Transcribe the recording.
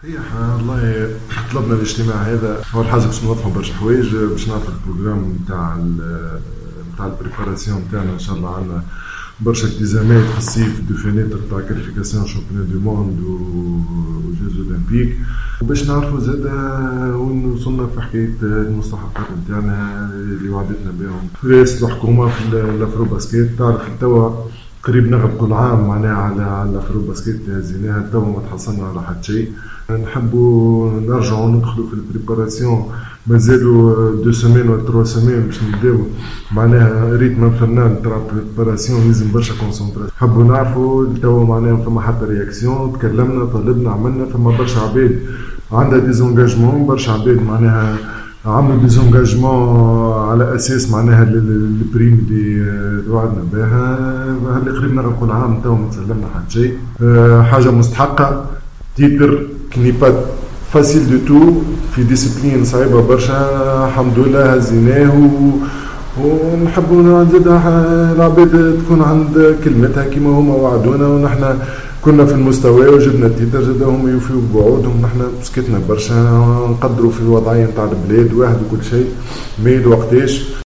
صحيح والله، طلبنا الاجتماع هذا اول حاجة باش نوضحوا برشا حوايج، باش نعرفوا ال programme نتاع ال préparation نتاعنا. ان شاء الله عندنا برشا التزامات في الصيف، deux fenêtres تاع qualification championnat du monde و Jeux olympiques، وباش نعرفوا زاد وين وصلنا في حكاية المستحقات نتاعنا اللي وعدتنا بهم رئاسة الحكومة في l'Afrobasket. تعرف توا قريب نغلقوا العام معناها على l'Afrobasket اللي هزيناها، توا ما تحصلنا على حتى شيء. نحبوا نرجعوا ندخلوا في ال préparation، مازالوا 2 semaines ولا 3 semaines باش نبداو معناها rythme infernal تاع préparation، لازم برشا concentration. نحبوا نعرفوا توا معناها فما حتى réaction. تكلمنا، طلبنا، عملنا، فما برشا عباد عندها des engagements، برشا عباد معناها عملوا des engagements على اساس معناها ال prime اللي وعدنا بها. اللي قريب نغلقوا العام، تو ما تسلمنا حتى شيء. حاجة مستحقه، titre qui n'est pas facile du tout في discipline صعيبة برشا. الحمد لله هزيناه ونحبوا نزيد العباد تكون عند كلمتها كما هما وعدونا، ونحن كنا في المستوى وجبنا ال titre، زاد هم يوفيوا بوعودهم. نحن سكتنا برشا، نقدروا في الوضعية نتاع البلاد واحد وكل شيء، mais وقتاش؟